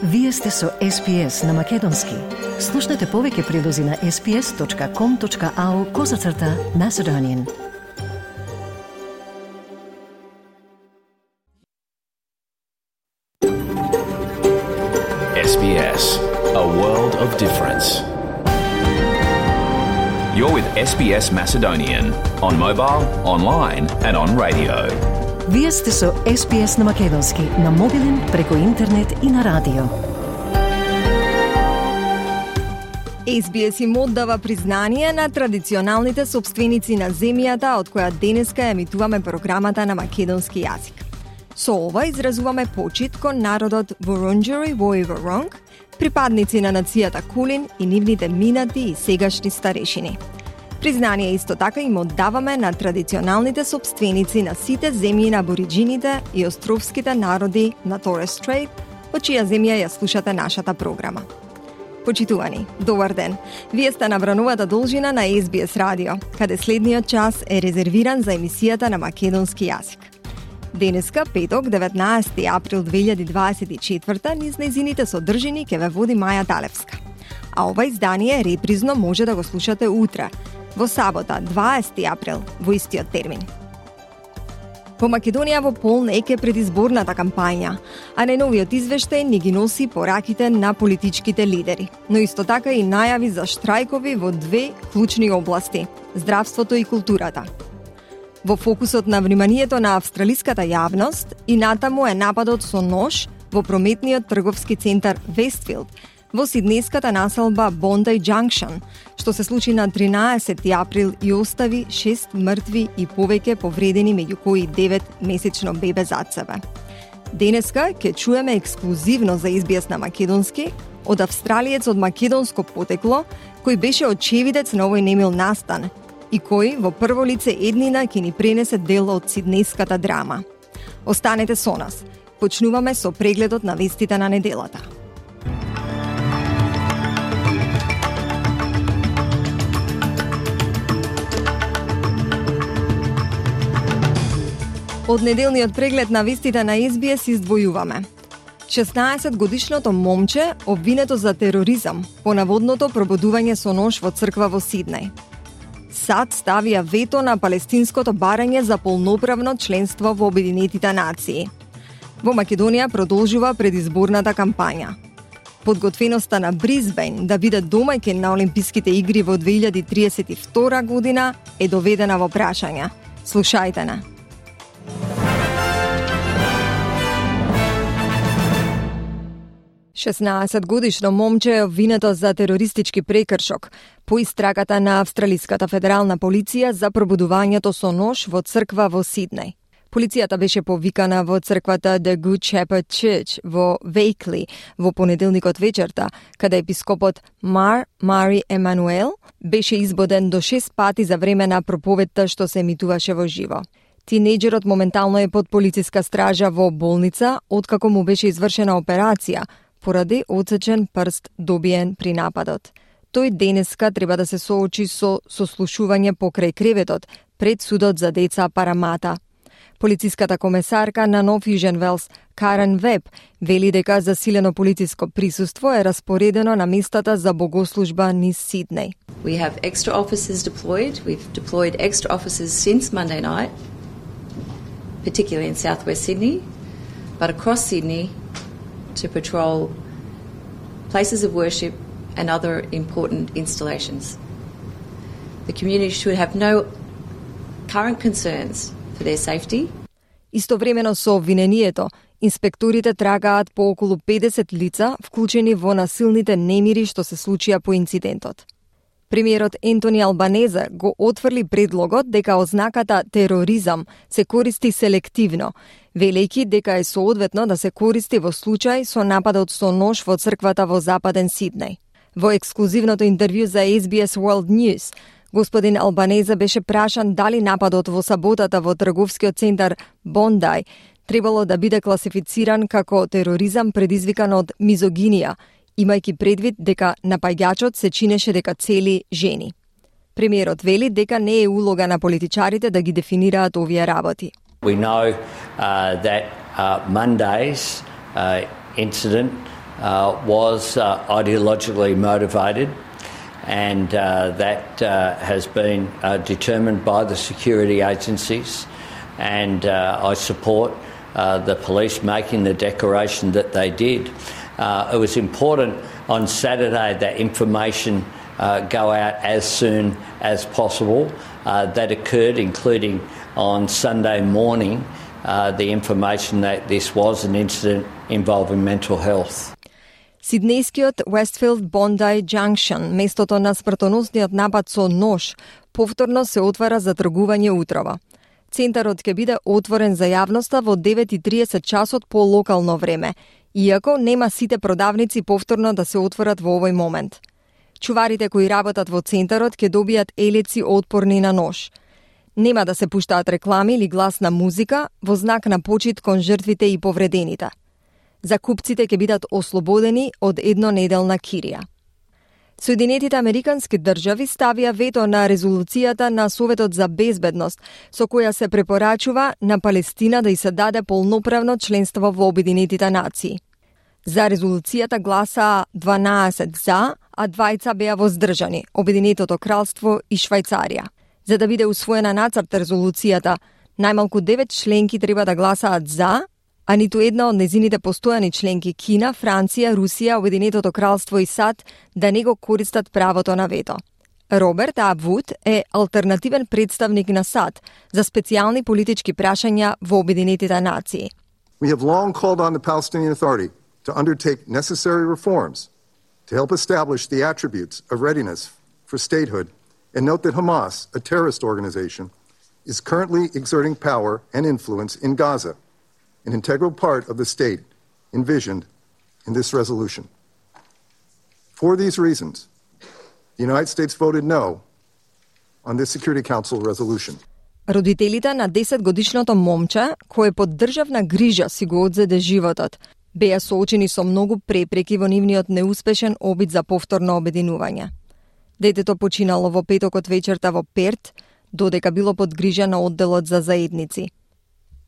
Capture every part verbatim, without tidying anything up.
Вие сте со Ес Би Ес на Македонски. Слушнете повеќе прилози на ес би ес точка ком точка ау козацрта Macedonian. Ес Би Ес, a world of difference. You're with Ес Би Ес Macedonian on mobile, online and on radio. Вие сте со Ес Би Ес на Македонски, на мобилен, преку интернет и на радио. Ес Би Ес им оддава признание на традиционалните собственици на земјата од која денеска емитуваме програмата на македонски јазик. Со ова изразуваме почит кон народот Вурунджери во Воронг, припадници на нацијата Кулин и нивните минати и сегашни старешини. Признание исто така им оддаваме на традиционалните собственици на сите земји на абориджините и островските народи на Торес Стрейт, во чија земја ја слушате нашата програма. Почитувани, добар ден. Вие сте на врановата должина на Ес Би Ес радио, каде следниот час е резервиран за емисијата на македонски јазик. Денеска, петок, деветнаесети април две илјади дваесет и четврта, низ нејзините содржини ќе ве води Маја Талевска. А ова издание репризно може да го слушате утре, во сабота, дваесети април, во истиот термин. Во Македонија во полн ек е предизборната кампања, а најновиот извештај ни ги носи пораките на политичките лидери, но исто така и најави за штрајкови во две клучни области – здравството и културата. Во фокусот на вниманието на австралиската јавност и натаму е нападот со нож во прометниот трговски центар Вестфилд, во сиднејската населба Бондај Џанкшн, што се случи на тринаесети април и остави шест мртви и повеќе повредени, меѓу кои девет месечно бебе зад себе. Денеска ќе чуеме ексклузивно за Ес Би Ес на македонски од австралиец од македонско потекло, кој беше очевидец на овој немил настан и кој во прво лице еднина ќе ни пренесе дел од сиднејската драма. Останете со нас. Почнуваме со прегледот на вестите на неделата. Од неделниот преглед на вестите на Ес Би Ес издвојуваме. шеснаесет годишното момче обвинето за тероризам по наводното пробудување со нож во црква во Сиднеј. САД ставија вето на палестинското барање за полноправно членство во Обединетите нации. Во Македонија продолжува предизборната кампања. Подготвеноста на Брисбејн да биде домаќин на Олимписките игри во две илјади триесет и втора година е доведена во прашање. Слушајте на. шеснаесет годишно момче е обвинето за терористички прекршок по истрагата на Австралиската федерална полиција за пробудувањето со нож во црква во Сиднеј. Полицијата беше повикана во црквата The Good Shepherd Church во Вејкли во понеделникот вечерта, каде епископот Мар Мари Емануел беше избоден до шест пати за време на проповедта што се емитуваше во живо. Тинејџерот моментално е под полициска стража во болница, откако му беше извршена операција, поради отсечен прст добиен при нападот. Тој денеска треба да се соочи со сослушување покрај креветот пред судот за деца Парамата. Полициската комесарка на Нов Јужен Велс, Карен Веб, вели дека засилено полициско присуство е распоредено на местата за богослужба низ Сиднеј. We have extra officers deployed. We've deployed extra officers since Monday night, particularly in southwest Sydney, but across Sydney to patrol places of worship and other important installations. The community should have no current concerns for their safety. Истовремено со обвинението, инспекторите трагаат по околу педесет лица вклучени во насилните немири што се случија по инцидентот. Премиерот Ентони Албанезе го отфрли предлогот дека ознаката тероризам се користи селективно, велејќи дека е соодветно да се користи во случај со нападот со нож во црквата во Западен Сиднеј. Во ексклузивното интервју за Ес Би Ес World News, господин Албанезе беше прашан дали нападот во саботата во трговскиот центар Бондај требало да биде класифициран како тероризам предизвикан од мизогинија, имајќи предвид дека напаѓачот се чинеше дека цели жени. Премиерот вели дека не е улога на политичарите да ги дефинираат овие работи. We know uh, that uh, Monday's uh, incident uh, was uh, ideologically motivated, and uh, that uh, has been uh, determined by the security agencies, and uh, I support uh, the police making the declaration that they did. Uh, it was important on Saturday that information uh, go out as soon as possible. Uh, that occurred, including on Sunday morning, uh, the information that this was an incident involving mental health. Сиднејскиот Westfield Bondi Junction, местото на смртоносниот напад со нож, повторно се отвара за тргување утрово. Центарот ќе биде отворен за јавноста во девет и триесет часот по локално време, иако нема сите продавници повторно да се отворат во овој момент. Чуварите кои работат во центарот ќе добијат елеци отпорни на нож. Нема да се пуштаат реклами или гласна музика во знак на почит кон жртвите и повредените. Закупците ќе бидат ослободени од еднонеделна кирија. Соединетите Американски држави ставија вето на резолуцијата на Советот за безбедност, со која се препорачува на Палестина да ѝ се даде полноправно членство во Обединетите нации. За резолуцијата гласаа дванаесет за, а двајца беа воздржани, Обединетото кралство и Швајцарија. За да биде усвоена нацрт резолуцијата, најмалку девет членки треба да гласаат за, а ниту една од незините постојани членки Кина, Франција, Русија, Обединетото кралство и САД да не го користат правото на вето. Роберт Абвуд е алтернативен представник на САД за специјални политички прашања во Обединетите нации. We have long called on the Palestinian Authority to undertake necessary reforms to help establish the attributes of readiness for statehood and note that Hamas, a terrorist organization, is currently exerting power and influence in Gaza, an integral part of the state envisioned in this resolution. For these reasons, the United States voted no on this Security Council resolution. Родителите на десетгодишното момче, кое под државна грижа си го одзеде животот, беа соочени со многу препреки во нивниот неуспешен обид за повторно обединување. Детето починало во петокот вечерта во Перт, додека било под грижа на одделот за заедници.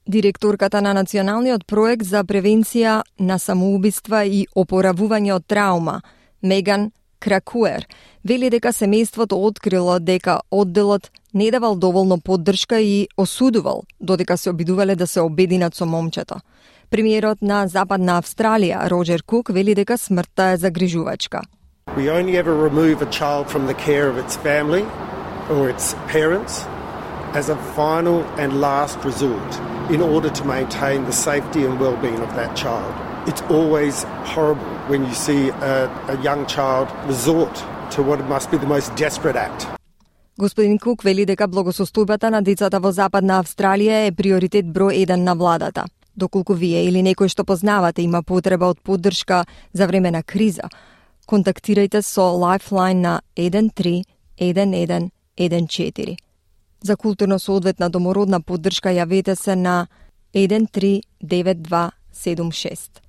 Директорката на Националниот проект за превенција на самоубиства и опоравување од траума, Меган Кракуер, вели дека семејството открило дека одделот не давал доволно поддршка и осудувал додека се обидувале да се обединат со момчето. Премиерот на Западна Австралија, Роджер Кук, вели дека смртта е загрижувачка. We only ever remove a child from the care of its family or its parents as a final and last resort in order to maintain the safety and well-being of that child. It's always horrible when you see a, a young child resort to what must be the most desperate act. Господин Кук вели дека благосостојбата на децата во Западна Австралија е приоритет број еден на владата. Доколку вие или некој што познавате има потреба од поддршка за време на криза, контактирајте со Lifeline на еден три еден еден еден четири. За културно соодветна домородна поддршка јавете се на еден три девет два седум шест.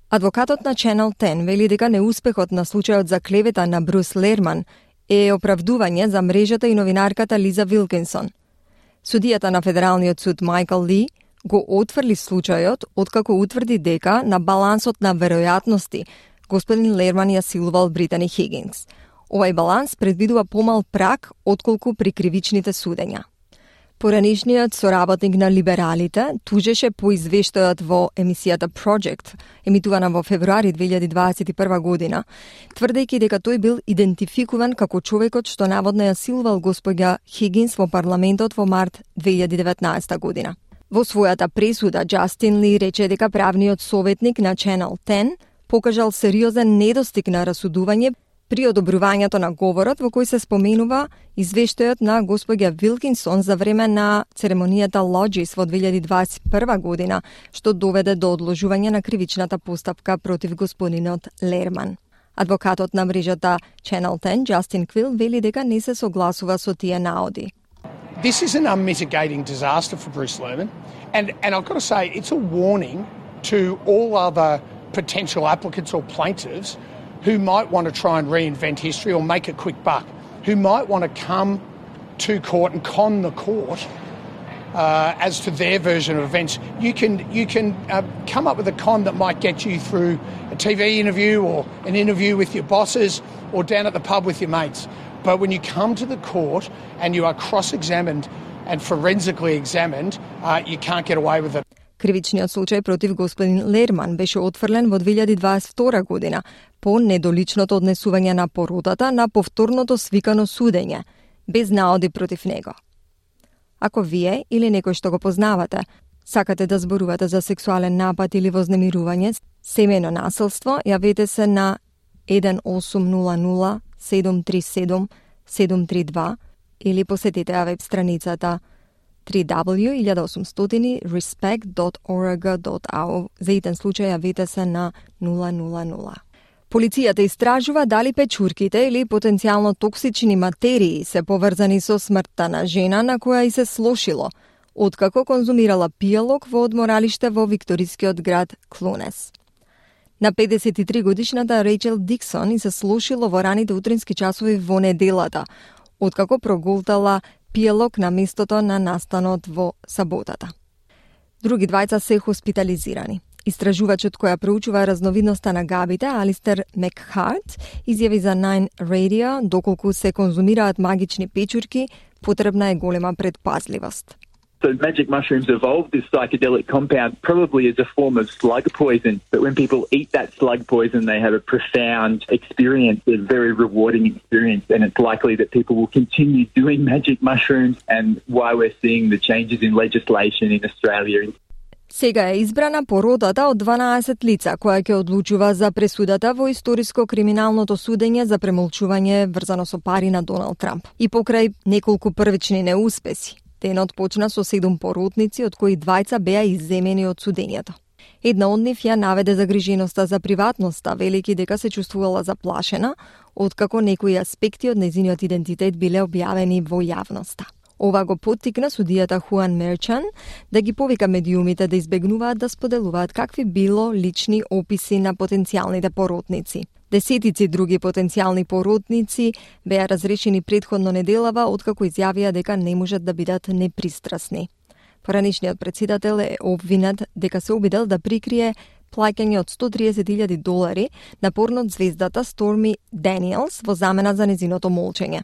Адвокатот на Channel десет вели дека неуспехот на случајот за клевета на Брус Лерман е оправдување за мрежата и новинарката Лиза Вилкинсон. Судијата на Федералниот суд Майкл Ли го отфрли случајот откако утврди дека на балансот на веројатности господин Лерман ја силувал Британи Хигинс. Овај баланс предвидува помал праг отколку при кривичните судења. Поранишниот соработник на либералите тужеше по извештајот во емисијата Project, емитувана во февруари две илјади дваесет и прва година, тврдејќи дека тој бил идентификуван како човекот што наводно ја силувал господја Хигинс во парламентот во март две илјади деветнаесета година. Во својата пресуда, Джастин Ли рече дека правниот советник на Channel десет покажал сериозен недостиг на расудување при одобрувањето на говорот во кој се споменува извештајот на господја Вилкинсон за време на церемонијата Лоджис во две илјади дваесет и прва година, што доведе до одложување на кривичната постапка против господинот Лерман. Адвокатот на мрежата Channel десет, Джастин Квил, вели дека не се согласува со тие наоди. This is an unmitigating disaster for Bruce Lerman, and, and I've got to say it's a warning to all other potential applicants or plaintiffs who might want to try and reinvent history or make a quick buck, who might want to come to court and con the court uh, as to their version of events. You can you can uh, come up with a con that might get you through a T V interview or an interview with your bosses or down at the pub with your mates. But when you come to the court and you are cross-examined and forensically examined, uh, you can't get away with it. Кривичниот случај против господин Лерман беше отфрлен во две илјади дваесет и втора година по недоличното однесување на породата на повторното свикано судење, без наоди против него. Ако вие или некој што го познавате, сакате да зборувате за сексуален напад или вознемирување, семејно насилство, јавете се на еден осум нула нула седум три седум седум три два или посетете ја веб страницата три дабл ю точка осум стотини respect dot org dot a u. За итен случај јавете се на нула нула нула. Полицијата истражува дали печурките или потенцијално токсични материи се поврзани со смртта на жена на која и се слошило, откако конзумирала пијалок во одморалиште во викторискиот град Клунес. На педесет и три годишната Рейчел Диксон и се слошило во раните утрински часови во неделата, откако прогултала пијалок на местото на настанот во саботата. Други двајца се хоспитализирани. Истражувачот која проучува разновидноста на габите, Алистер Мекхарт, изјави за Nine Radio, доколку се конзумираат магични печурки, потребна е голема предпазливост. So magic mushrooms evolved this psychedelic compound probably as a form of slug poison, but when people eat that slug poison, they have a profound experience, a very rewarding experience, and it's likely that people will continue doing magic mushrooms, and why we're seeing the changes in legislation in Australia. Сега е избрана породата од дванаесет лица, која ќе одлучува за пресудата во историско-криминалното судење за премолчување врзано со пари на Доналд Трамп. И покрај неколку првични неуспеси, денот почна со седум поротници, од кои двајца беа изземени од судењето. Една од нив ја наведе загриженоста за приватноста, велики дека се чувствувала заплашена, откако некои аспекти од нејзиниот идентитет биле објавени во јавноста. Ова го поттикна судијата Хуан Мерчан да ги повика медиумите да избегнуваат да споделуваат какви било лични описи на потенцијалните поротници. Десетици други потенцијални поротници беа разрешени претходно неделава, откако изјавија дека не можат да бидат непристрасни. Поранишниот претседател е обвинет дека се обидел да прикрие плаќање од сто триесет илјади долари на порнот звездата Сторми Даниелс во замена за незиното молчење.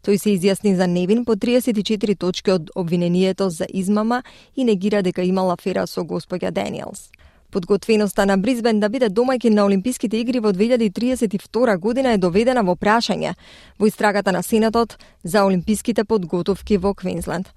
Тој се изјасни за невин по триесет и четири точки од обвинението за измама и негира дека имала афера со господја Даниелс. Подготвеноста на Брисбен да биде домаќин на Олимписките игри во две илјади триесет и втора година е доведена во прашање во истрагата на Сенатот за олимписките подготовки во Квинсленд.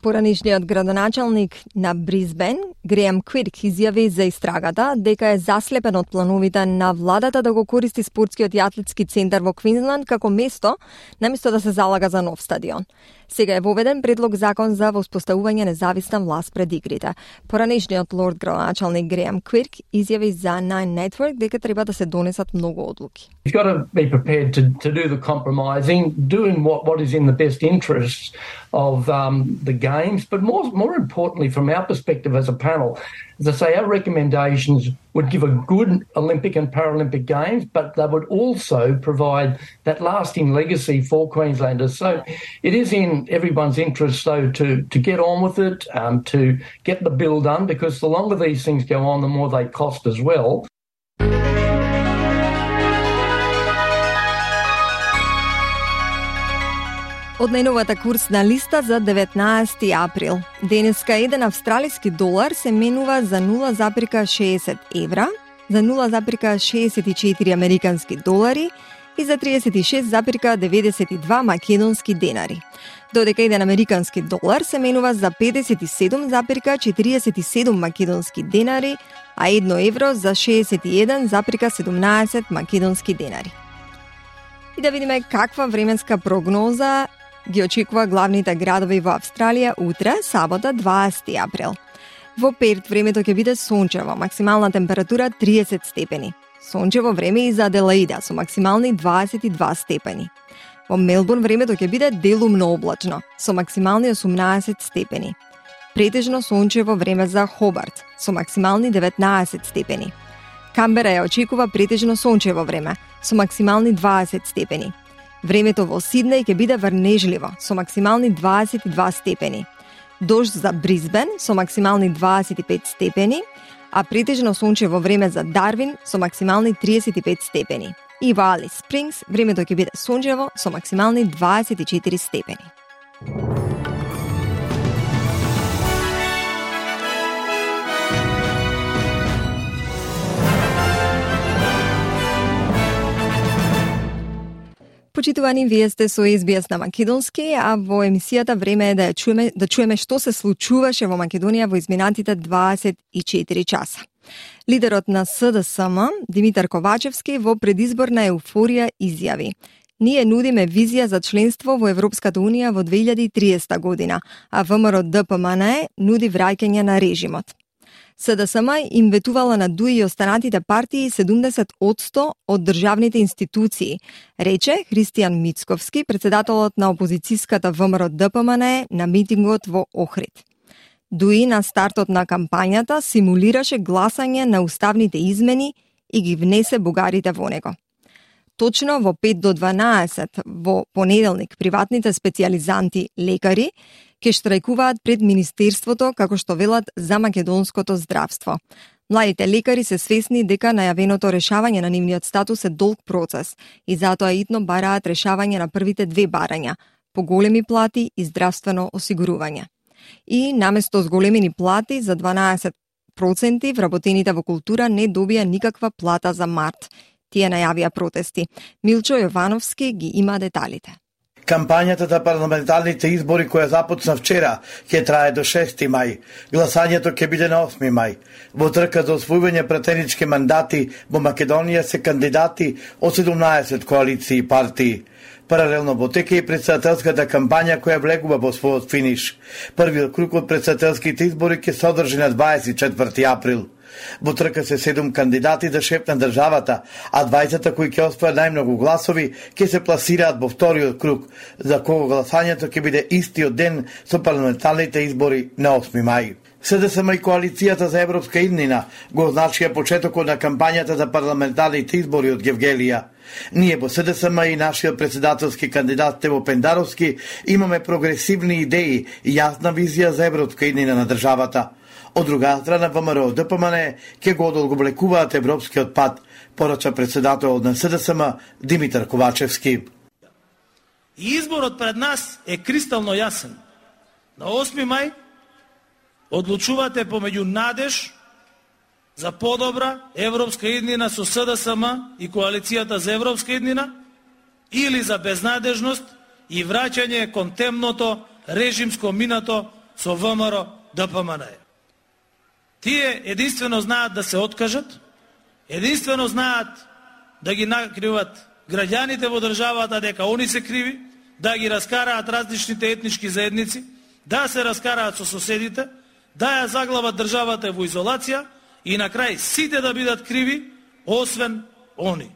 Поранишниот градоначалник на Брисбен, Греам Квирк, изјави за истрагата дека е заслепен од плановите на владата да го користи спортскиот и атлетски центар во Квинсленд како место, наместо да се залага за нов стадион. Сега е воведен предлог закон за воспоставување независна власт пред игрите. Поранишниот лорд градоначалник Греам Квирк изјави за Nine Network дека треба да се донесат многу одлуки. You've got to be prepared to, to do the compromising, doing what, what is in the best interests of um, the games, but more more importantly, from our perspective as a panel, as I say, our recommendations would give a good Olympic and Paralympic Games, but they would also provide that lasting legacy for Queenslanders. So it is in everyone's interest, though, to, to get on with it, um, to get the bill done, because the longer these things go on, the more they cost as well. Од најновата курсна листа за деветнаесети април. Денеска еден австралиски долар се менува за нула запирка шеесет евра, за нула запирка шеесет и четири американски долари и за триесет и шест запирка деветдесет и два македонски денари. Додека еден американски долар се менува за педесет и седум запирка четириесет и седум македонски денари, а едно евро за шеесет и еден запирка седумнаесет македонски денари. И да видиме каква временска прогноза ги очекува главните градови во Австралија утре, сабота, дваесети април. Во Перт времето ќе биде сончево, максимална температура триесет степени. Сончево време и за Аделаида со максимални дваесет и два степени. Во Мелбурн времето ќе биде делумно облачно, со максимални осумнаесет степени. Претежно сончево време за Хобарт, со максимални деветнаесет степени. Камбера ја очекува претежно сончево време, со максимални дваесет степени. Времето во Сиднеј ќе биде врнежливо, со максимални дваесет и два степени. Дожд за Бризбен со максимални дваесет и пет степени, а претежно сончево време за Дарвин со максимални триесет и пет степени. И во Алис Спрингс времето ќе биде сончево со максимални дваесет и четири степени. Почитувани, вие сте со Ес Би Ес на македонски, а во емисијата време е да ја чуеме, да чуеме што се случуваше во Македонија во изминатите дваесет и четири часа. Лидерот на С Д С М, Димитар Ковачевски, во предизборна еуфорија изјави: "Ние нудиме визија за членство во Европската Унија во две илјади и триесета година, а Вэ М Р Д П М Н Е нуди враќање на режимот." С Д С М им ветувала на ДУИ и останатите партии седумдесет одсто од државните институции, рече Христијан Мицковски, председателот на опозицијската Вэ М Р Д П М Н Е на митингот во Охрид. ДУИ на стартот на кампањата симулираше гласање на уставните измени и ги внесе бугарите во него. Точно во пет до дванаесет во понеделник приватните специјализанти лекари ќе штрајкуваат пред Министерството, како што велат, за македонското здравство. Младите лекари се свесни дека најавеното решавање на нивниот статус е долг процес и затоа итно бараат решавање на првите две барања – поголеми плати и здравствено осигурување. И наместо зголемени плати за дванаесет проценти вработените во култура не добија никаква плата за март. Тие најавија протести. Милчо Јовановски ги има деталите. Кампањата за парламентарните избори која започна вчера ќе трае до шести мај. Гласањето ќе биде на осми мај. Во трка за освојување претенички мандати во Македонија се кандидати од седумнаесет коалиции и партии. Паралелно во тека и претседателската кампања која влегува во својот финиш. Првиот круг од претседателските избори ќе се одржи на дваесет и четврти април. Во трка се седум кандидати за шеф на државата, а дваесет кои ќе освојат најмногу гласови ќе се пласираат во вториот круг, за кого гласањето ќе биде истиот ден со парламентарните избори на осми мај. С Д С М и коалицијата за европска иднина го означија почетокот на кампањата за парламентарните избори од Гевгелија. Ние во С Д С М и нашиот председателски кандидат Тево Пендаровски имаме прогресивни идеи и јасна визија за европска иднина на државата. Од друга страна, Вэ М Р Д П М Н Е ќе го одолговлекуваат европскиот пат, порача председателот на С Д С М Димитар Ковачевски. И изборот пред нас е кристално јасен. На осми мај одлучувате помеѓу надеж за подобра европска иднина со С Д С М и коалицијата за европска иднина или за безнадежност и враќање кон темното режимско минато со Вэ М Р Д П М Н Е. Тие единствено знаат да се откажат, единствено знаат да ги накриват граѓаните во државата дека они се криви, да ги раскараат различните етнички заедници, да се раскараат со соседите, да ја заглават државата во изолација и на крај сите да бидат криви, освен они.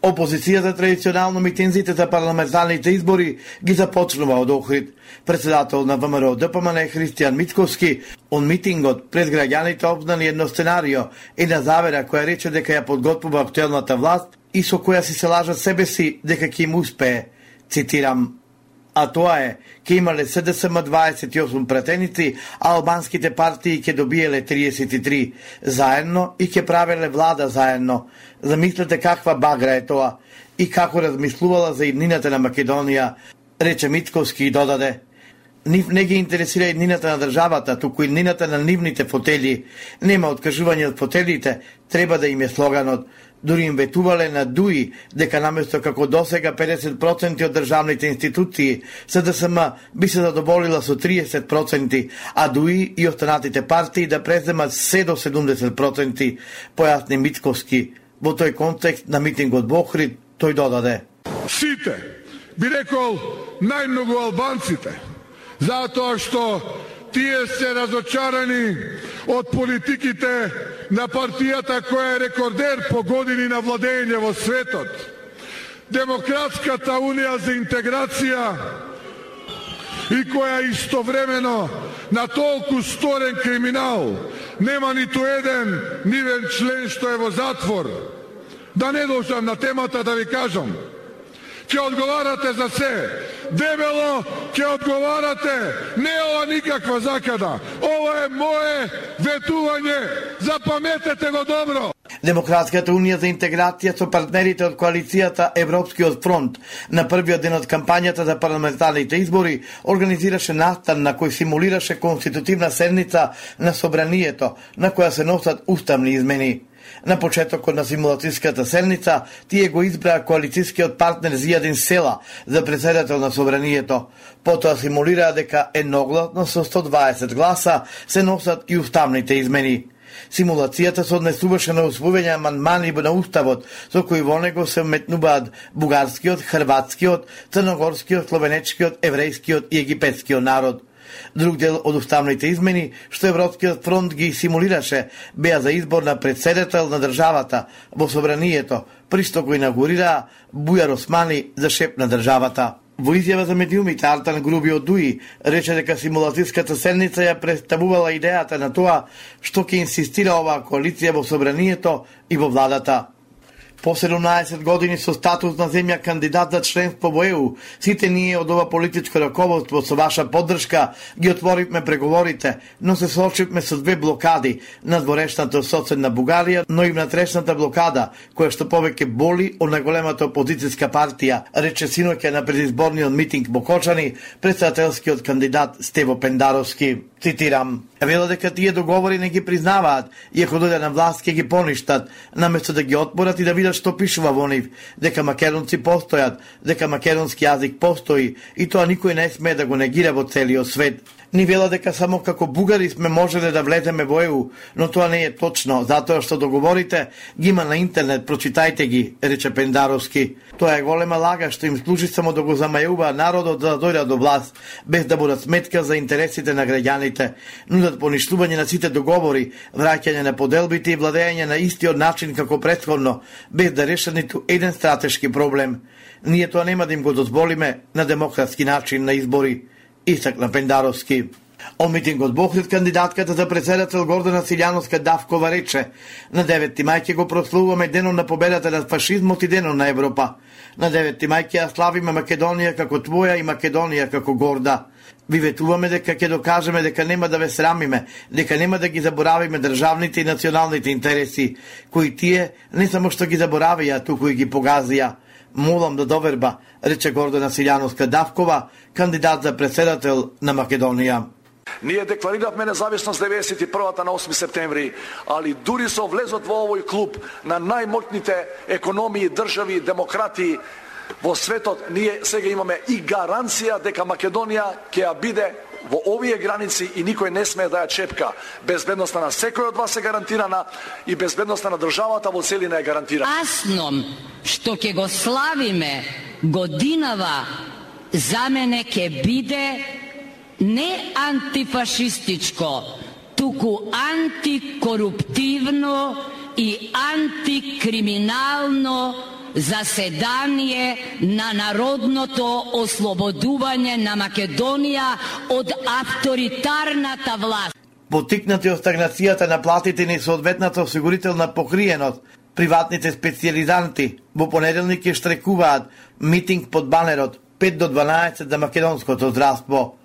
Опозицијата традиционално митинзите за парламентарните избори ги започнува од Охрид. Председател на Вэ М Р Д П М Н Е Христијан Мицковски он митингот пред граѓаните обзнали едно сценарио, една завера која рече дека ја подготвува актуелната власт и со која си се лажат себе си дека ќе им успее. Цитирам: а тоа е, ќе имале С Д С М дваесет и осум претеници, а албанските партии ќе добиеле триесет и три заедно и ќе правеле влада заедно. Замислете каква багра е тоа и како размислувала за иднината на Македонија, рече Мицковски и додаде: нив не ги интересира иднината на државата, туку иднината на нивните фотели. Нема откажување од фотелите, треба да им е слоганот. Дури им ветувале на ДУИ дека наместо како досега педесет проценти од државните институции, С Д С М би се задоволила со триесет проценти, а ДУИ и останатите партии да преземат се до седумдесет проценти, појасни Мицковски. Во тој контекст на митингот во Охрид тој додаде: сите, би рекол најмногу албанците, затоа што тие се разочарани од политиките на партијата која е рекордер по години на владење во светот. Демократската унија за интеграција и која истовремено на толку сторен криминал нема ниту еден нивен член што е во затвор. Да не должам на темата да ви кажам, ќе одговарате за се, дебело ќе одговарате. Не е ова никаква закада. Ова е мое ветување. Запаметете го добро. Демократската унија за интеграција со партнерите од коалицијата Европскиот фронт на првиот ден од кампањата за парламентарните избори организираше настан на кој симулираше конститутивна седница на собранието на која се носат уставни измени. На почетокот на симулацијската седница тие го избраа коалицијскиот партнер Зијадин Села за председател на собранието. Потоа симулираа дека едногласно со сто дваесет гласа се носат и уставните измени. Симулацијата се однесуваше на усвојување амандмани на уставот, со кои во него се вметнуваат бугарскиот, хрватскиот, црногорскиот, словенечкиот, еврејскиот и египетскиот народ. Друг дел од уставните измени, што Европскиот фронт ги симулираше, беа за избор на председател на државата во собранието, при што го инаугурираа Бујар Османи за шеф на државата. Во изјава за медиумите Артан Груби од ДУИ рече дека симулацијската седница ја представувала идејата на тоа што ќе инсистира оваа коалиција во собранието и во владата. По седумнаесет години со статус на земја кандидат за членство во Е У, сите ние од ова политичко раководство со ваша поддршка ги отворивме преговорите, но се соочивме со две блокади, надворешната соседна Бугарија, но и внатрешната блокада, која што повеќе боли од најголемата опозицијска партија, рече синоќа на предизборниот митинг во Кочани претседателскиот кандидат Стево Пендаровски. Цитирам: "Вела дека тие договори не ги признаваат и ако дојдат на власт ќе ги поништат, наместо да ги отпорат и да видат што пишува во нив, дека македонци постојат, дека македонски јазик постои и тоа никој не смее да го негира во целиот свет. Ни вела дека само како бугари сме можеле да влеземе во Е У, но тоа не е точно, затоа што договорите ги има на интернет, прочитајте ги", рече Пендаровски. Тоа е голема лага што им служи само да го замајува народот да дојдат до власт, без да бодат сметка за интересите на граѓаните. Нудат поништување на сите договори, враќање на поделбите и владење на истиот начин како претходно, без да решат ниту еден стратешки проблем. Ние тоа нема да им го дозволиме на демократски начин на избори, истакна Пендаровски. Од митингот во Охрид кандидатката за председател Гордана Силјановска Давкова рече: "На деветти мај ќе го прославуваме денот на победата над фашизмот и денот на Европа. На деветти мај ќе ја славиме Македонија како твоја и Македонија како горда. Ви ветуваме дека ќе докажеме дека нема да ве срамиме, дека нема да ги заборавиме државните и националните интереси, кои тие не само што ги заборавија, туку и ги погазија. Молам да доверба", рече Гордана Силјановска Давкова, кандидат за председател на Македонија. Ние декларирахме независност деветдесет и првата на осми септември, али дури со влезот во овој клуб на најмоќните економии, држави, демократии во светот, ние сега имаме и гаранција дека Македонија ќе ја биде во овие граници и никој не смее да ја чепка. Безбедноста на секој од вас е гарантирана и безбедноста на државата во целина е гарантирана. Асном што ќе го славиме годинава за мене ќе биде не антифашистичко, туку антикоруптивно и антикриминално заседание на народното ослободување на Македонија од авторитарната власт. Потикнати од стагнацијата на платите и несоодветната осигурителна покриеност, приватните специјализанти во понеделник ќе штрекуваат митинг под банерот пет до дванаесет за македонското здравство.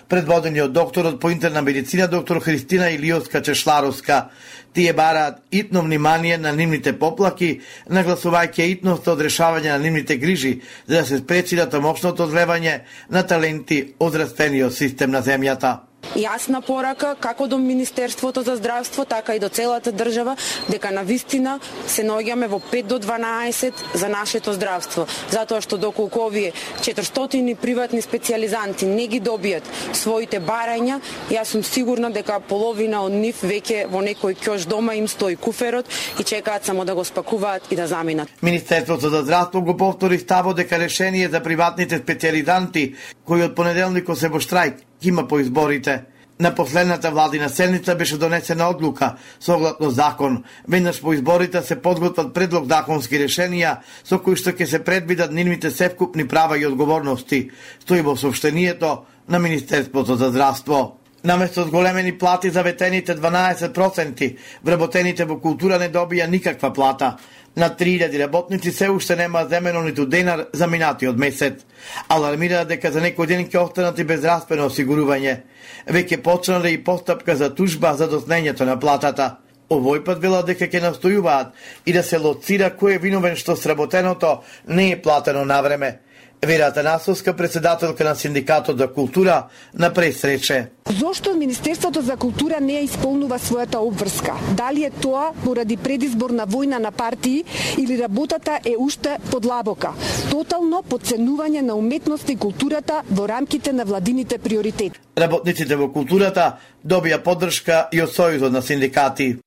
Предводени од докторот по интерна медицина доктор Христина Илиовска Чешларовска. Тие бараат итно внимание на нивните поплаки, нагласувајќи итност од решавање на нивните грижи, за да се спречи тамошното одлевање на таленти од раствениот систем на земјата. Јасна порака како до Министерството за здравство, така и до целата држава, дека навистина се наоѓаме во пет до дванаесет за нашето здравство. Затоа што доколку овие четиристотини приватни специјализанти не ги добијат своите барања, јас сум сигурна дека половина од нив веќе во некој ќош дома им стои куферот и чекаат само да го спакуваат и да заминат. Министерството за здравство го повтори ставот дека решение за приватните специјализанти кои од понеделникот се во штрајк има по изборите. На последната владина седница беше донесена одлука согласно закон. Веднаш по изборите се подготват предлог законски решенија со кои што ќе се предвидат нивните севкупни права и одговорности, стои во соопштението на Министерството за здравство. Наместо зголемени плати за ветените дванаесет проценти, вработените во култура не добија никаква плата. На три илјади работници се уште нема земено ниту денар за минатиот месец. Алармираат дека за некој ден ќе останат и без распено осигурување. Веќе почнале и постапка за тужба за доснењето на платата. Овој пат велат дека ќе настојуваат и да се лоцира кој е виновен што сработеното не е платено на време. Вера Атанасовска, председателка на Синдикатот за култура, на пресрече. Зошто Министерството за култура не исполнува својата обврска? Дали е тоа поради предизборна војна на партии или работата е уште подлабока? Тотално подценување на уметноста и културата во рамките на владините приоритети. Работниците во културата добија поддршка и од Сојузот на синдикати.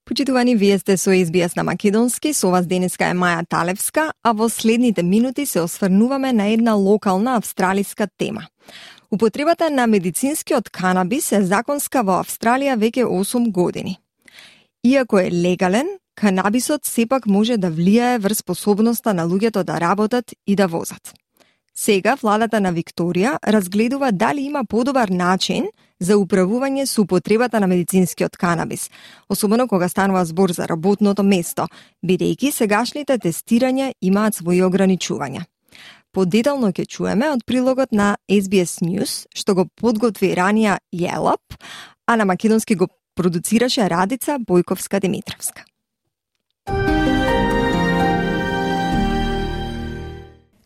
Почитувани, вие сте со Ес Би Ес на македонски, со вас денеска е Маја Талевска, а во следните минути се осврнуваме на една локална австралиска тема. Употребата на медицинскиот канабис е законска во Австралија веќе осум години. Иако е легален, канабисот сепак може да влијае врз способноста на луѓето да работат и да возат. Сега владата на Викторија разгледува дали има подобар начин за управување со употребата на медицинскиот канабис, особено кога станува збор за работното место, бидејќи сегашните тестирања имаат своји ограничувања. Подетално ќе чуеме од прилогот на Ес Би Ес News, што го подготви ранија Јелап, а на македонски го продуцираше Радица Бојковска-Димитровска.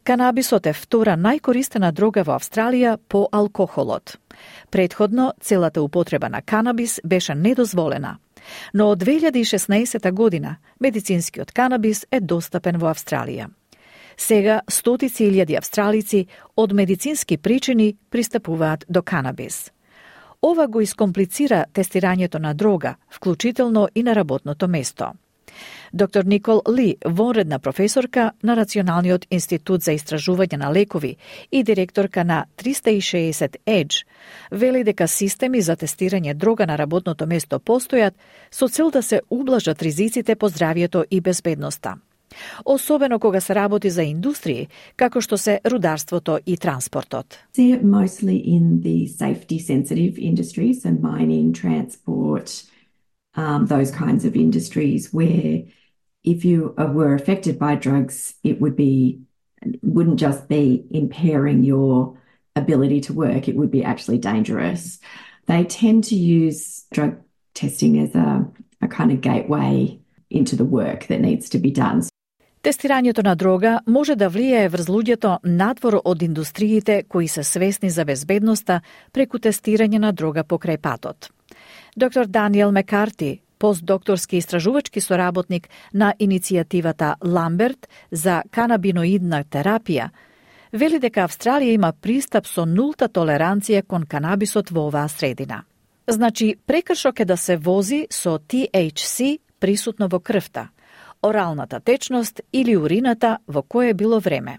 Канабисот е втора најкористена дрога во Австралија по алкохолот. Предходно, целата употреба на канабис беше недозволена, но од две илјади и шеснаесета година медицинскиот канабис е достапен во Австралија. Сега стотици илјади австралици од медицински причини пристапуваат до канабис. Ова го искомплицира тестирањето на дрога, вклучително и на работното место. Доктор Никол Ли, вонредна професорка на Националниот институт за истражување на лекови и директорка на триста и шеесет Edge, вели дека системи за тестирање дрога на работното место постојат со цел да се ублажат ризиците по здравјето и безбедноста. Особено кога се работи за индустрии, како што се рударството и транспортот. See it mostly in the safety sensitive industries and mining, transport, Um, those kinds of industries where if you were affected by drugs, it would be wouldn't just be impairing your ability to work, it would be actually dangerous. They tend to use drug testing as a, a kind of gateway into the work that needs to be done. Тестирањето на дрога може да влијае врз луѓето надвор од индустриите кои се свесни за безбедноста преку тестирање на дрога покрај патот. Доктор Даниел Мекарти, постдокторски истражувачки соработник на иницијативата Ламберт за канабиноидна терапија, вели дека Австралија има пристап со нулта толеранција кон канабисот во оваа средина. Значи, прекршок е да се вози со Ти Ейч Си присутно во крвта, оралната течност или урината во кое било време.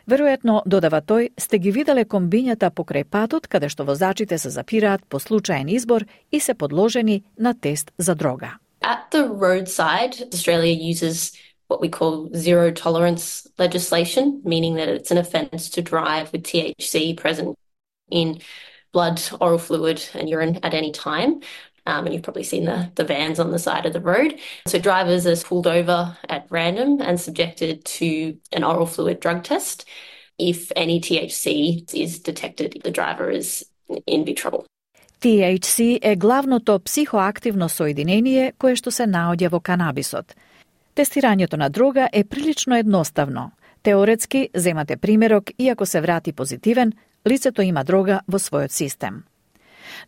Веројатно, додава тој, сте ги виделе комбињата покрај патот каде што возачите се запираат по случаен избор и се подложени на тест за дрога. At the roadside, Australia uses what we call zero tolerance legislation, meaning that it's an offence to drive with T H C present in blood, oral fluid and urine at any time. Um, and you've probably seen the, the vans on the side of the road. So drivers are pulled over at random and subjected to an oral fluid drug test. If any T H C is detected, the driver is in big trouble. Ти Ейч Си е главното психоактивно соединение кое што се наоѓа во канабисот. Тестирањето на дрога е прилично едноставно. Теоретски, земате примерок и ако се врати позитивен, лицето има дрога во својот систем.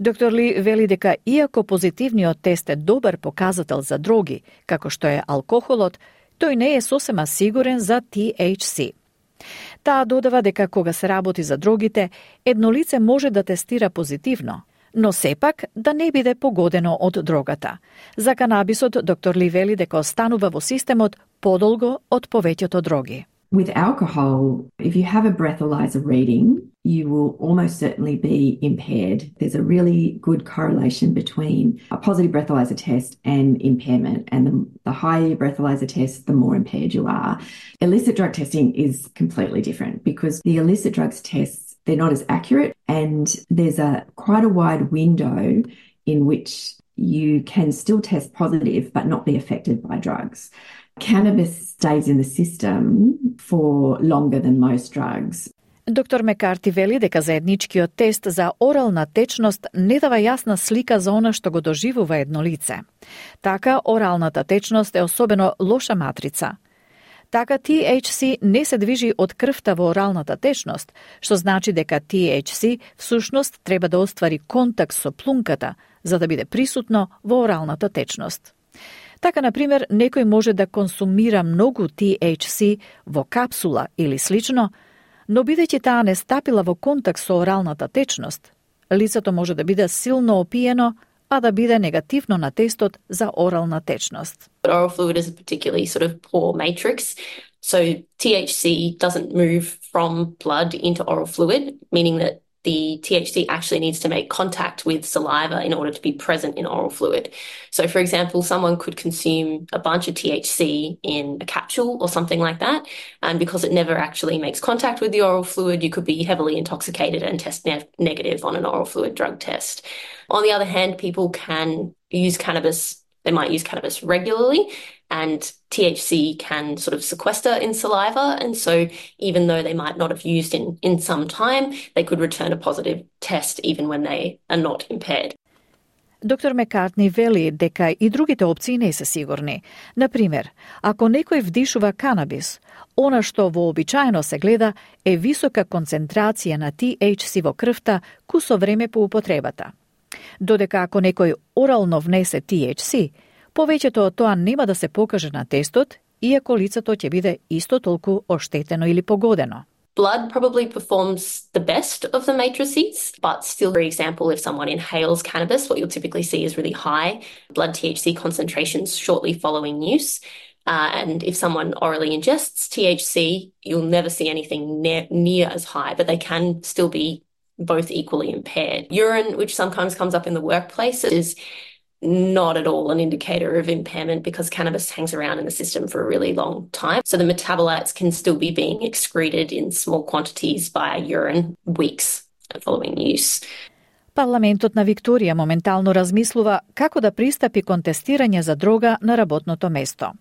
Доктор Ли вели дека иако позитивниот тест е добар показател за дроги, како што е алкохолот, тој не е сосема сигурен за Ти Ейч Си. Таа додава дека кога се работи за дрогите, едно лице може да тестира позитивно, но сепак да не биде погодено од дрогата. За канабисот, доктор Ли вели дека останува во системот подолго од повеќето дроги. With alcohol, if you have a breathalyzer reading, you will almost certainly be impaired. There's a really good correlation between a positive breathalyzer test and impairment. And the, the higher your breathalyzer test, the more impaired you are. Illicit drug testing is completely different because the illicit drugs tests, they're not as accurate, and there's a quite a wide window in which you can still test positive but not be affected by drugs. Cannabis stays in the system for longer than most drugs. Доктор Мекарти вели дека заедничкиот тест за орална течност не дава јасна слика за она што го доживува едно лице. Така, оралната течност е особено лоша матрица. Така, T H C не се движи од крвта во оралната течност, што значи дека T H C всушност треба да оствари контакт со плунката, за да биде присутно во оралната течност. Така, например, некој може да консумира многу T H C во капсула или слично, но бидејќи таа не стапила во контакт со оралната течност, лицето може да биде силно опиено, а да биде негативно на тестот за орална течност. Oral fluid is a particularly sort of poor matrix, so T H C doesn't move from blood into oral fluid, meaning that the T H C actually needs to make contact with saliva in order to be present in oral fluid. So, for example, someone could consume a bunch of T H C in a capsule or something like that, and because it never actually makes contact with the oral fluid, you could be heavily intoxicated and test ne- negative on an oral fluid drug test. On the other hand, people can use cannabis, they might use cannabis regularly, and T H C can sort of sequester in saliva, and so even though they might not have used in, in some time, they could return a positive test even when they are not impaired. Доктор Мекартни вели дека и другите опции не се сигурни. Например, ако некој вдишува канабис, она што вообичаено се гледа е висока концентрација на T H C во крвта кусо време по употребата. Додека ако некој орално внесе T H C, повеќето од тоа нема да се покаже на тестот, иако лицето ќе биде исто толку оштетено или погодено. Blood probably performs the best of the matrices, but still, for example, if someone inhales cannabis, what you'll typically see is really high blood T H C concentrations shortly following use. Uh, and if someone orally ingests T H C, you'll never see anything ne- near as high, but they can still be both equally impaired. Urine, which sometimes comes up in the workplace, is not at all an indicator of impairment because cannabis hangs around in the system for a really long time. So the metabolites can still be being excreted in small quantities via urine weeks following use. Парламентот на Викторија моментално размислува како да пристапи кон тестирање за дрога на работното место.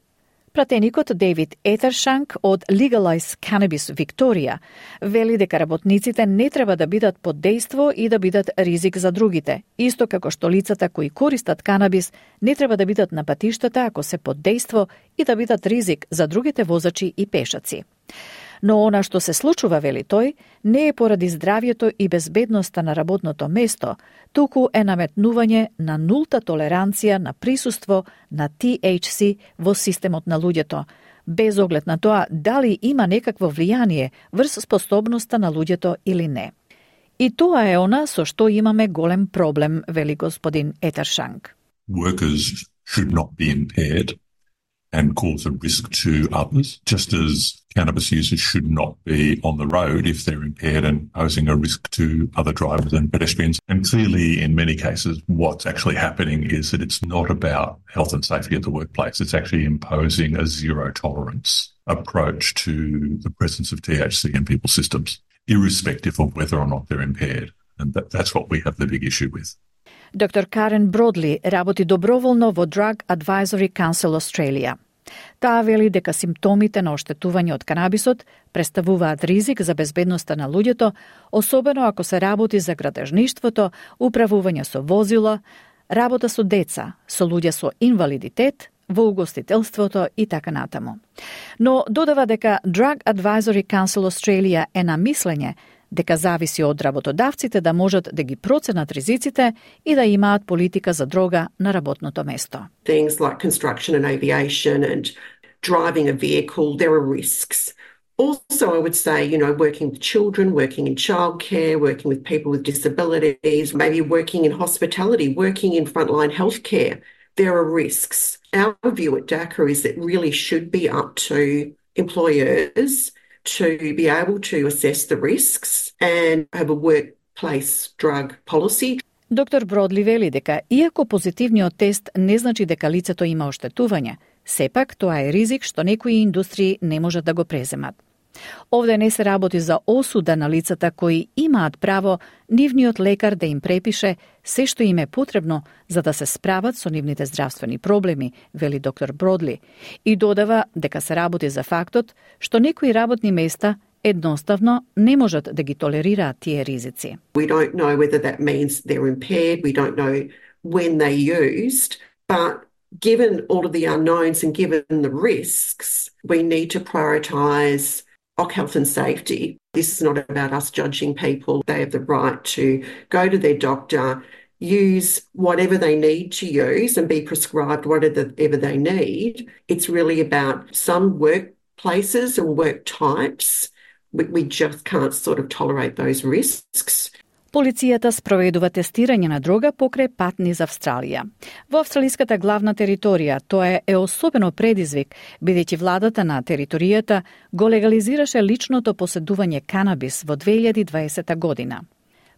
Пратеникот Дейвид Етершанк од Legalize Cannabis Викторија вели дека работниците не треба да бидат под дејство и да бидат ризик за другите, исто како што лицата кои користат канабис не треба да бидат на патиштата ако се под дејство и да бидат ризик за другите возачи и пешаци. Но она што се случува, вели тој, не е поради здравјето и безбедноста на работното место, туку е наметнување на нулта толеранција на присуство на T H C во системот на луѓето, без оглед на тоа дали има некакво влијание врз способноста на луѓето или не. И тоа е она со што имаме голем проблем, вели господин Етершанк. Workers should not be impaired and cause a risk to others, just as cannabis users should not be on the road if they're impaired and posing a risk to other drivers and pedestrians. And clearly, in many cases, what's actually happening is that it's not about health and safety at the workplace. It's actually imposing a zero tolerance approach to the presence of T H C in people's systems, irrespective of whether or not they're impaired. And that, that's what we have the big issue with. Доктор Карен Бродли работи доброволно во Drug Advisory Council Australia. Таа вели дека симптомите на оштетување од канабисот представуваат ризик за безбедноста на луѓето, особено ако се работи за градежништвото, управување со возила, работа со деца, со луѓе со инвалидитет, во угостителството и така натаму. Но додава дека Drug Advisory Council Australia е на мислење дека зависи од работодавците да можат да ги проценат ризиците и да имаат политика за дрога на работното место. Things like construction and aviation and driving a vehicle, there are risks. Also, I would say, you know, working with children, working in childcare, working with people with disabilities, maybe working in hospitality, working in frontline healthcare, there are risks. Our view at D A C A is that it really should be up to employers to be able to assess the risks and have a workplace drug policy. Доктор Бродли вели дека иако позитивниот тест не значи дека лицето има оштетување, сепак тоа е ризик што некои индустрии не можат да го преземат. Овде не се работи за осуда на лицата кои имаат право нивниот лекар да им препише се што им е потребно за да се справат со нивните здравствени проблеми, вели доктор Бродли, и додава дека се работи за фактот што некои работни места едноставно не можат да ги толерираат тие ризици. We don't know whether that means they're impaired, we don't know when they used, but given all of the unknowns and given the risks, we need to prioritise O C health and safety. This is not about us judging people. They have the right to go to their doctor, use whatever they need to use and be prescribed whatever they need. It's really about some workplaces and work types. We, we just can't sort of tolerate those risks. Полицијата спроведува тестирање на дрога покрај пат низ Австралија. Во австралиската главна територија тоа е особено предизвик, бидејќи владата на територијата го легализираше личното поседување канабис во две илјади и дваесета година.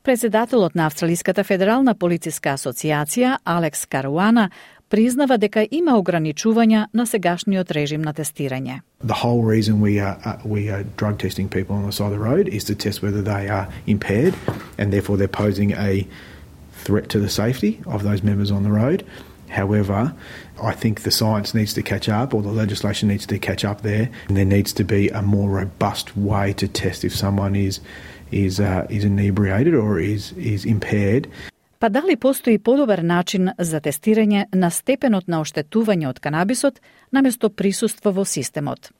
Председателот на Австралиската федерална полициска асоциација Алекс Каруана признава дека има ограничувања на сегашниот режим на тестирање. The whole reason we are uh, we are drug testing people on the side of the road is to test whether they are impaired and therefore they're posing a threat to the safety of those members on the road. However, I think the science needs to catch up or the legislation needs to catch up there, and there needs to be a more robust way to test if someone is is uh, is inebriated or is is impaired. Па дали постои подобар начин за тестирање на степенот на оштетување од канабисот наместо присуство во системот?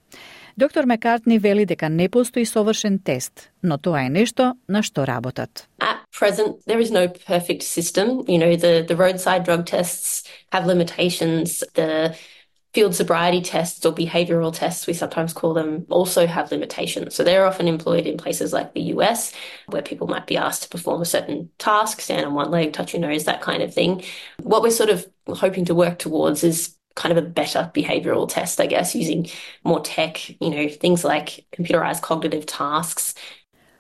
Доктор Маккартни вели дека не постои совршен тест, но тоа е нешто на што работат. At present, there is no perfect system. You know, the, the roadside drug tests have limitations. The field sobriety tests or behavioral tests, we sometimes call them, also have limitations. So they're often employed in places like the U S, where people might be asked to perform a certain task, stand on one leg, touch your nose, that kind of thing. What we're sort of hoping to work towards is kind of a better behavioral test, I guess, using more tech, you know, things like computerized cognitive tasks.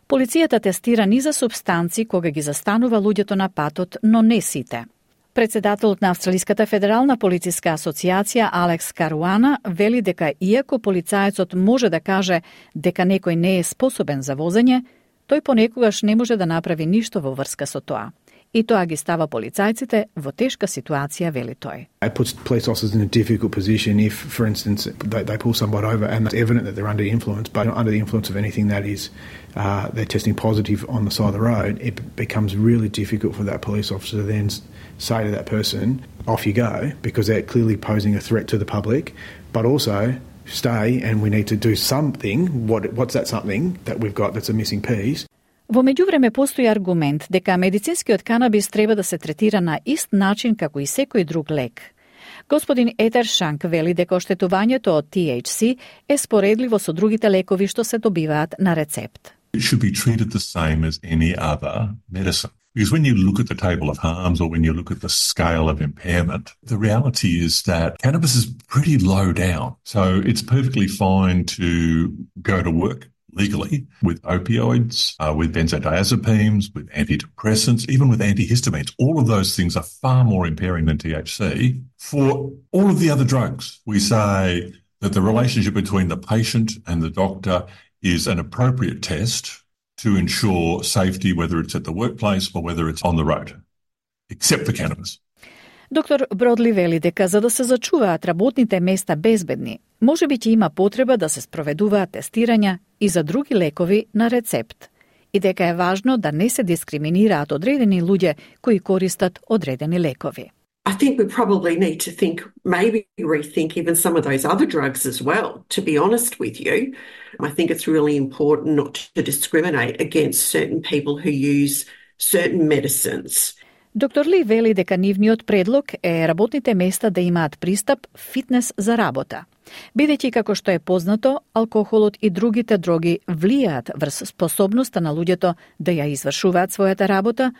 Полицијата тестира низа субстанци кога ги застанува луѓето на патот, но не сите. Председателот на Австралиската федерална полициска асоциација Алекс Каруана вели дека иако полицаецот може да каже дека некој не е способен за возење, тој понекогаш не може да направи ништо во врска со тоа. И тоа ги става полицајците во тешка ситуација, вели тој. It puts police officers in a difficult position if, for instance, they, they pull somebody over and it's evident that they're under influence, but under the influence of anything that is, uh, they're testing positive on the side of the road, it becomes really difficult for that police officer to then say to that person, off you go, because they're clearly posing a threat to the public, but also stay and we need to do something. What, what's that something that we've got that's a missing piece? Во меѓувреме постои аргумент дека медицинскиот канабис треба да се третира на ист начин како и секој друг лек. Господин Етер Шанк вели дека оштетувањето од T H C е споредливо со другите лекови што се добиваат на рецепт. It should be treated the same as any other medicine. Because when you look at the table of harms or when you look at the scale of impairment, the reality is that cannabis is pretty low down. So it's perfectly fine to go to work legally with opioids, uh, with benzodiazepines, with antidepressants, even with antihistamines. All of those things are far more impairing than T H C. For all of the other drugs, we say that the relationship between the patient and the doctor is an appropriate test to ensure safety, whether it's at the workplace or whether it's on the road, except for cannabis. Доктор Бродли вели дека за да се зачуваат работните места безбедни, може би ќе има потреба да се спроведуваат тестирања и за други лекови на рецепт, и дека е важно да не се дискриминираат одредени луѓе кои користат одредени лекови. I think we probably need to think, maybe rethink even some of those other drugs as well, to be honest with you. I think it's really important not to discriminate against certain people who use certain medicines. Доктор Ли вели дека нивниот предлог е работните места да имаат пристап фитнес за работа. Бидејќи, како што е познато, алкохолот и другите дроги влијаат врз способноста на луѓето да ја извршуваат својата работа,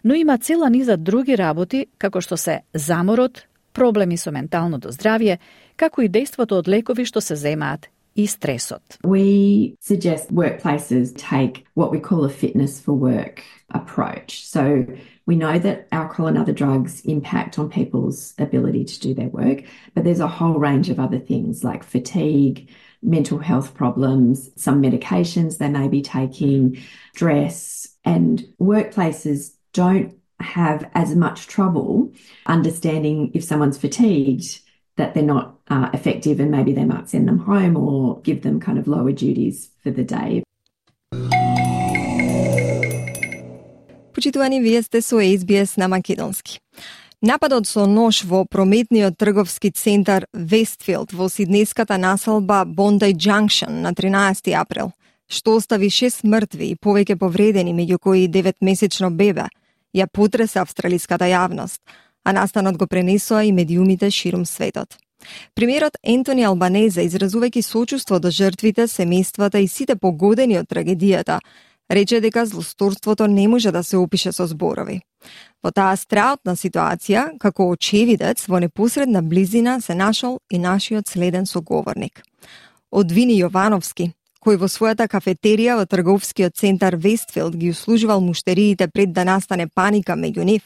но има цела низа други работи, како што се заморот, проблеми со менталното здравје, како и дејството од лекови што се земаат и стресот. We suggest workplaces take what we call a fitness for work approach. So we know that alcohol and other drugs impact on people's ability to do their work, but there's a whole range of other things like fatigue, mental health problems, some medications they may be taking, stress, and workplaces don't have as much trouble understanding if someone's fatigued that they're not uh, effective and maybe they might send them home or give them kind of lower duties for the day. Почитувани, вие сте со Ес Би Ес на македонски. Нападот со нож во прометниот трговски центар Вестфилд во сиднеската населба Bondi Junction на тринаесети април, што остави шест мртви и повеќе повредени, меѓу кои деветмесечно бебе, ја потреса австралиската јавност, а настанот го пренесоа и медиумите ширум светот. Премиерот Ентони Албанезе, изразувајќи сочувство до жртвите, семејствата и сите погодени од трагедијата, рече дека злосторството не може да се опише со зборови. Во таа страутна ситуација, како очевидец, во непосредна близина се нашол и нашиот следен соговорник. Од Вини Јовановски, кој во својата кафетерија во трговскиот центар Вестфилд ги услужувал муштериите пред да настане паника меѓу нив,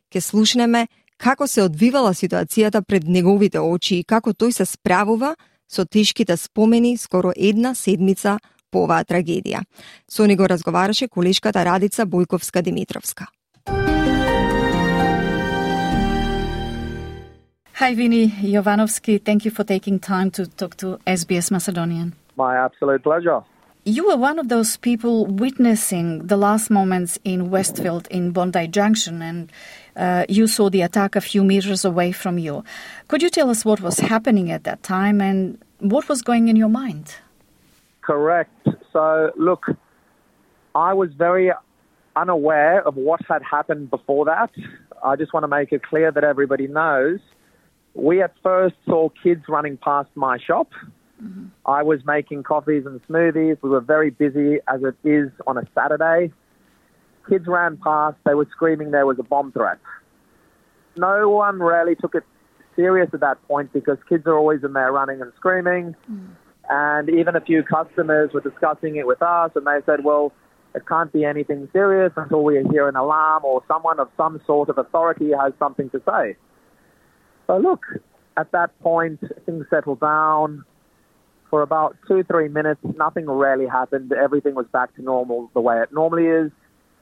ке слушнеме како се одвивала ситуацијата пред неговите очи и како тој се справува со тешките спомени скоро една седмица по оваа трагедија. Со него разговараше колешката Радица Бојковска-Димитровска. Hi, Vini Jovanovski. Thank you for taking time to talk to S B S Macedonian. My absolute pleasure. You were one of those people witnessing the last moments in Westfield in Bondi Junction, and uh, you saw the attack a few meters away from you. Could you tell us what was happening at that time and what was going in your mind? Correct. So, look, I was very unaware of what had happened before that. I just want to make it clear that everybody knows. We at first saw kids running past my shop. Mm-hmm. I was making coffees and smoothies. We were very busy, as it is on a Saturday. Kids ran past. They were screaming there was a bomb threat. No one really took it serious at that point because kids are always in there running and screaming. Mm. And even a few customers were discussing it with us, and they said, well, it can't be anything serious until we hear an alarm or someone of some sort of authority has something to say. So look, at that point, things settled down. For about two, three minutes, nothing really happened. Everything was back to normal the way it normally is.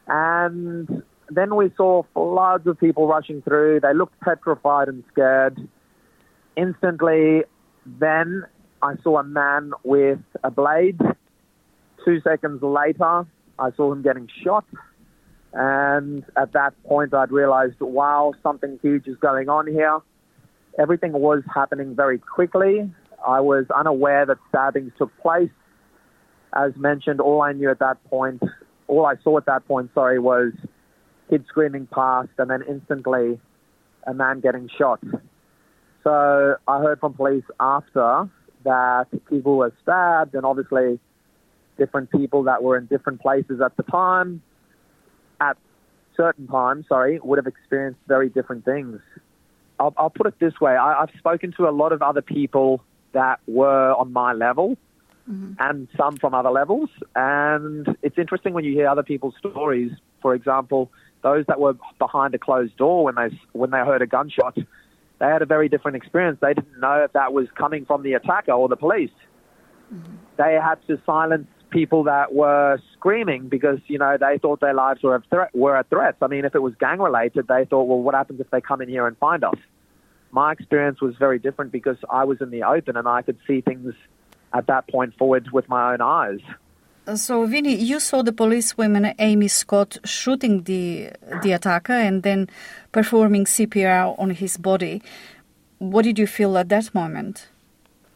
And then we saw floods of people rushing through. They looked petrified and scared. Instantly, then I saw a man with a blade. Two seconds later, I saw him getting shot. And at that point, I'd realized, wow, something huge is going on here. Everything was happening very quickly. I was unaware that stabbings took place. As mentioned, all I knew at that point, all I saw at that point, sorry, was kids screaming past and then instantly a man getting shot. So I heard from police after that people were stabbed, and obviously different people that were in different places at the time, at certain times, sorry, would have experienced very different things. I'll, I'll put it this way. I, I've spoken to a lot of other people that were on my level, mm-hmm. and some from other levels. And it's interesting when you hear other people's stories. For example, those that were behind a closed door when they when they heard a gunshot, they had a very different experience. They didn't know if that was coming from the attacker or the police. Mm-hmm. They had to silence people that were screaming because, you know, they thought their lives were a threat, were a threat. I mean, if it was gang-related, they thought, well, what happens if they come in here and find us? My experience was very different because I was in the open and I could see things at that point forward with my own eyes. So, Vinny, you saw the policewoman Amy Scott shooting the the attacker and then performing C P R on his body. What did you feel at that moment?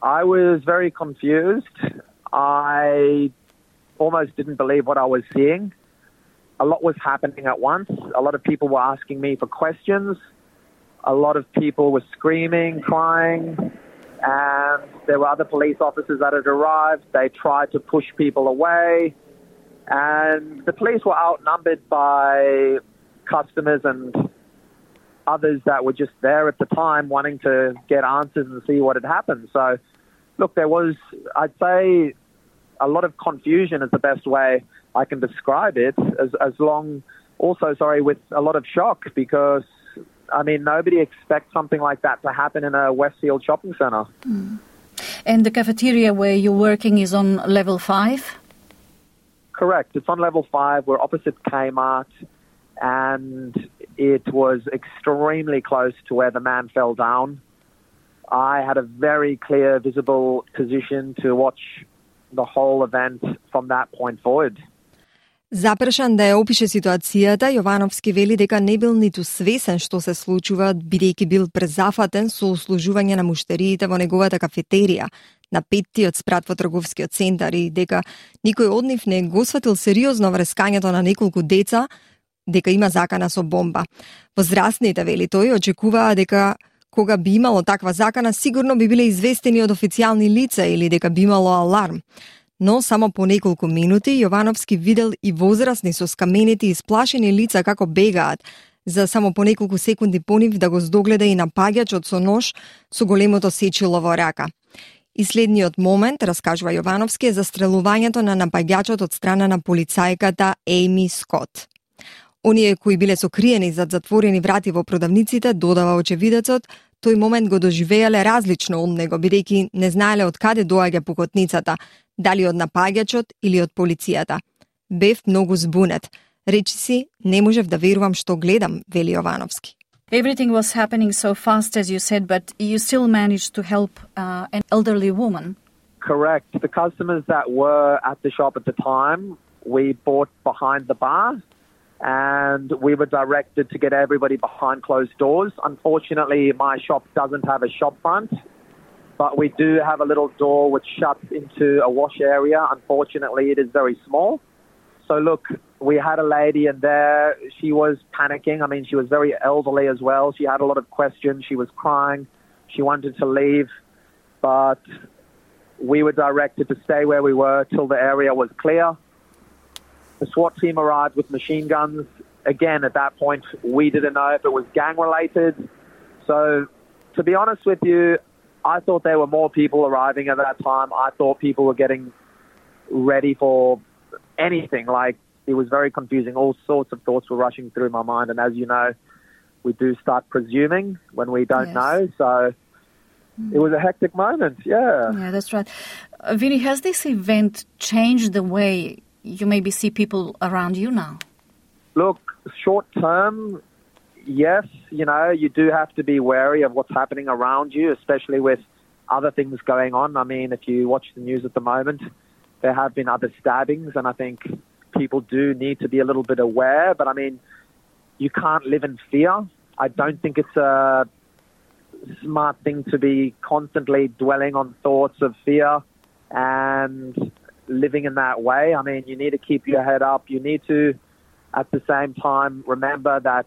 I was very confused. I almost didn't believe what I was seeing. A lot was happening at once. A lot of people were asking me for questions. A lot of people were screaming, crying, and there were other police officers that had arrived. They tried to push people away, and the police were outnumbered by customers and others that were just there at the time wanting to get answers and see what had happened. So Look, there was, I'd say, a lot of confusion is the best way I can describe it, as, as long, also, sorry, with a lot of shock, because, I mean, nobody expects something like that to happen in a Westfield shopping centre. Mm. And the cafeteria where you're working is on level five? Correct. It's on level five. We're opposite Kmart, and it was extremely close to where the man fell down. I had a very clear, visible position to watch the whole event from that point forward. Запрашан да ја опише ситуацијата, Јовановски вели дека не бил ниту свесен што се случува, бидејќи бил презафатен со услужување на муштериите во неговата кафетерија на петтиот спрат во трговскиот центар и дека никој од нив не го сфатил сериозно врескањето на неколку деца, дека има закана со бомба. Возрастните, вели тој, очекуваа дека кога би имало таква закана, сигурно би биле известени од официјални лица или дека би имало аларм. Но само по неколку минути Јовановски видел и возрастни со скаменети и сплашени лица како бегаат, за само по неколку секунди по нив да го здогледа и напаѓачот со нож со големото сечило во рака. И следниот момент, раскажува Јовановски, е застрелувањето на напаѓачот од страна на полицајката Ејми Скот. Оние кои биле сокриени зад затворени врати во продавниците, додава очевидецот, тој момент го доживеале различно од него, бидејќи не знаеле од каде доаѓа пукотницата, дали од напаѓачот или од полицијата. Бев многу збунет. Речи си, не можев да верувам што гледам, вели Јовановски. Everything was happening so fast, as you said, but you still managed to help uh, an elderly woman. Correct. The customers that were at the shop at the time, we bought behind the bar, and we were directed to get everybody behind closed doors. Unfortunately, my shop doesn't have a shop front, but we do have a little door which shuts into a wash area. Unfortunately, it is very small. So look, we had a lady in there. She was panicking. I mean, she was very elderly as well. She had a lot of questions. She was crying. She wanted to leave, but we were directed to stay where we were till the area was clear. The SWAT team arrived with machine guns. Again, at that point, we didn't know if it was gang-related. So, to be honest with you, I thought there were more people arriving at that time. I thought people were getting ready for anything. Like, it was very confusing. All sorts of thoughts were rushing through my mind. And as you know, we do start presuming when we don't yes. know. So, mm. it was a hectic moment, yeah. Yeah, that's right. Uh, Vinny, has this event changed the way you maybe see people around you now? Look, short term, yes. You know, you do have to be wary of what's happening around you, especially with other things going on. I mean, if you watch the news at the moment, there have been other stabbings, and I think people do need to be a little bit aware. But I mean, you can't live in fear. I don't think it's a smart thing to be constantly dwelling on thoughts of fear and living in that way. I mean, you need to keep your head up. You need to, at the same time, remember that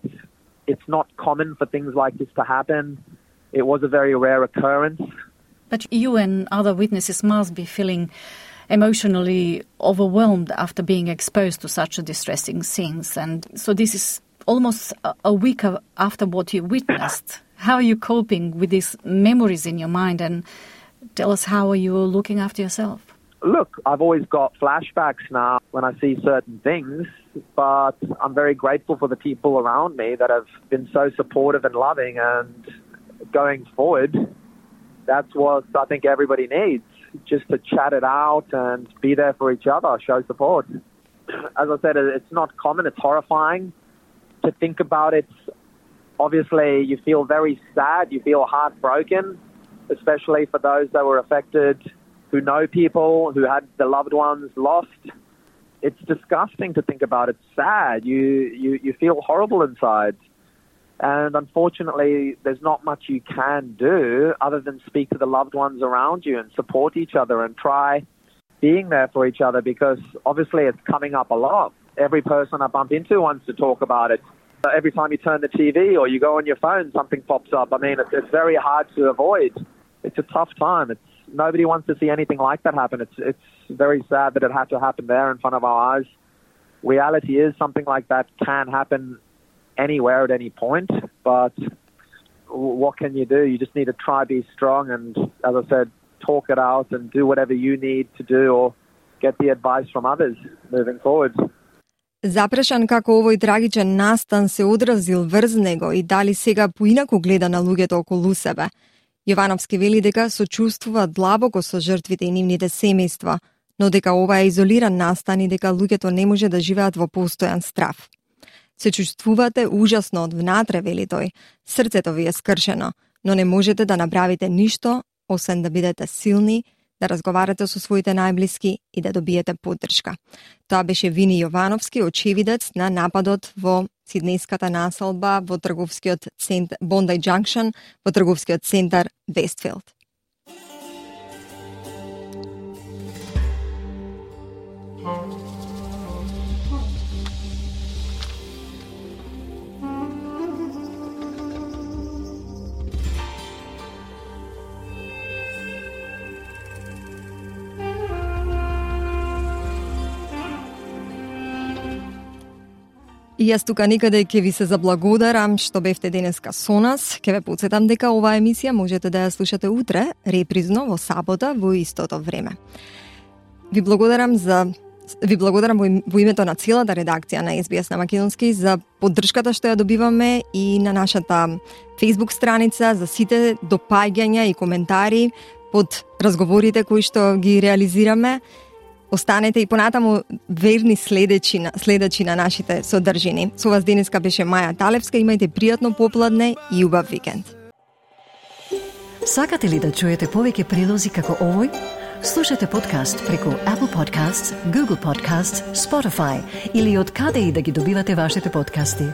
it's not common for things like this to happen. It was a very rare occurrence. But you and other witnesses must be feeling emotionally overwhelmed after being exposed to such a distressing scenes. And so this is almost a week after what you witnessed. How are you coping with these memories in your mind? And tell us, how are you looking after yourself? Look, I've always got flashbacks now when I see certain things, but I'm very grateful for the people around me that have been so supportive and loving, and going forward, that's what I think everybody needs, just to chat it out and be there for each other, show support. As I said, it's not common, it's horrifying to think about it. Obviously, you feel very sad, you feel heartbroken, especially for those that were affected, who know people, who had their loved ones lost. It's disgusting to think about. It's sad. You, you, you feel horrible inside. And unfortunately, there's not much you can do other than speak to the loved ones around you and support each other and try being there for each other, because obviously it's coming up a lot. Every person I bump into wants to talk about it. Every time you turn the T V or you go on your phone, something pops up. I mean, it's, it's very hard to avoid. It's a tough time. It's Nobody wants to see anything like that happen. It's it's very sad that it had to happen there in front of our eyes. Reality is something like that can happen anywhere at any point, but what can you do? You just need to try be strong and, as I said, talk it out and do whatever you need to do or get the advice from others moving forward. Запрашан како овој трагичен настан се одразил врз него и дали сега поинаку гледа на луѓето околу себе, Јовановски вели дека сочувствува длабоко со жртвите и нивните семејства, но дека ова е изолиран настан и дека луѓето не може да живеат во постојан страв. Се чувствувате ужасно од внатре, вели тој. Срцето ви е скршено, но не можете да направите ништо, освен да бидете силни, да разговарате со своите најблиски и да добиете поддршка. Тоа беше Вини Јовановски, очевидец на нападот во сиднејската населба во трговскиот центар Bondi Junction, во трговскиот центар Вестфилд. И јас тука некаде ќе ви се заблагодарам што бевте денеска со нас. Ќе ве потсетам дека оваа емисија можете да ја слушате утре, репризно во сабота во истото време. Ви благодарам за ви благодарам во, во името на целата редакција на Ес Би Ес на македонски за поддршката што ја добиваме и на нашата Facebook страница, за сите допаѓања и коментари под разговорите кои што ги реализираме. Останете и понатаму верни следечи на, следачи на нашите содржини. Со вас денеска беше Маја Талевска. Имајте пријатно попладне и убав викенд. Сакате ли да чуете повеќе прилози како овој? Слушате подкаст преку Apple Podcasts, Google Podcasts, Spotify или од каде и да ги добивате вашите подкасти.